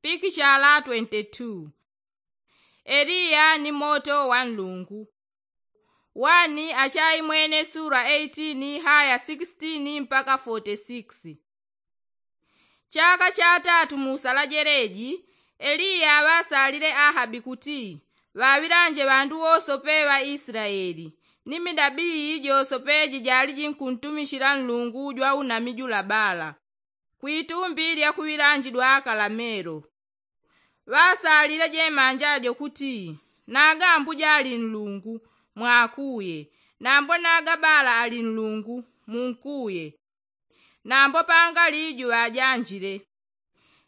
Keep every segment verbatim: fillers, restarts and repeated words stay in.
Pikichala twenty-two. Eliya ni moto wa nlungu. Wani achaimwene sura eighteen haya sixteen mpaka forty-six. Chaka chatatu mu sala jeleji, eliya ŵasalile ahabi kuti ŵaŵilanje ŵandu wosope ŵa isilayeli, ni midabii josope jijali jinkuntumichila nlungu jwa unami jula bala, kwitumbi lya kuŵilanjidwa kalamelo. Ŵasalile jemanja jo kuti, naga ambuje ali nlungu, mwakuye. Nambo naga bala ali nlungu, munkuye. Nambo pangali juŵajanjile.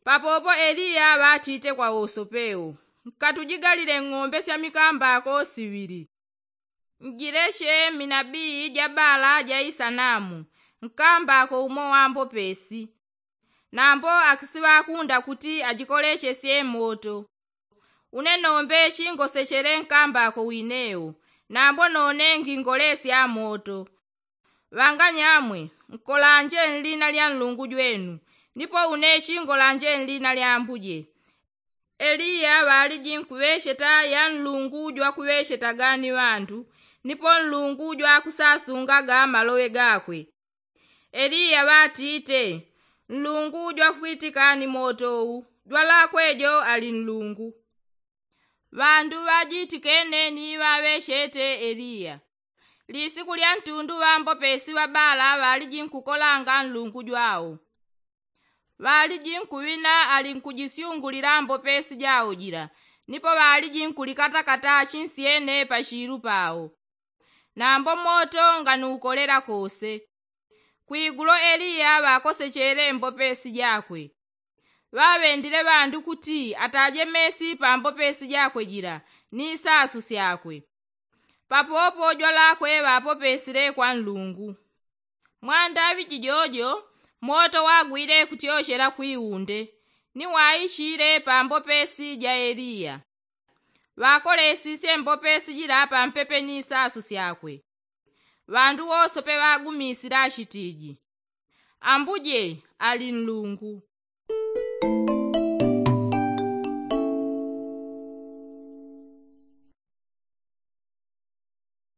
Papopo eliya ŵatite kwa wosope wo, nkatujigalile ng'ombe sya mikambako siŵili. Njileche minabii ja bala ja isanamu, nkambako umo wa mbopesi. Nambo akisiŵakunda kuti ajikolechesye moto. Une nombe chingosechele nkambako wine wo, nambo none ngingolesya moto. Ŵanganyamwe, nkolanje nlina lya nlungu jwenu, nipo une chingolanje nlina lya ambuje. Eliya ŵaliji nkuŵecheta ya nlungu jwakuŵechetaga ni ŵandu, nipo nlungu jwakusasungaga maloŵe gakwe. Eliya ŵatite, nlungu jwakwitika ni moto wu, jwalakwe jo ali nlungu. Ŵandu ŵajitikene ni ŵaŵechete eliya. Lisiku lya ntundu ŵambopesi ŵa bala ŵaliji nkukolanga nlungu jwawo. Ŵaliji nkuŵina ali nkujisyungulila mbopesi jawo jila, nipo ŵaliji nkulikatakata chinsyene pachilu pawo. Nambo moto nganukolela kose. Kwigulo eliya ŵakosechele mbopesi jakwe. Ŵaŵendile ŵandu kuti ataje mesi pa mbopesi jakwe jila ni sasu syakwe. Papopo jwalakwe ŵapopesile kwa nlungu. Mwandaŵi jijojo, moto wagwile kutyochela kwiunde, ni waichile pa mbopesi ja eliya. Ŵakolesisye mbopesi jila pampepe ni sasu syakwe. Ŵandu wosope ŵagumisile achitiji, ambuje ali nlungu.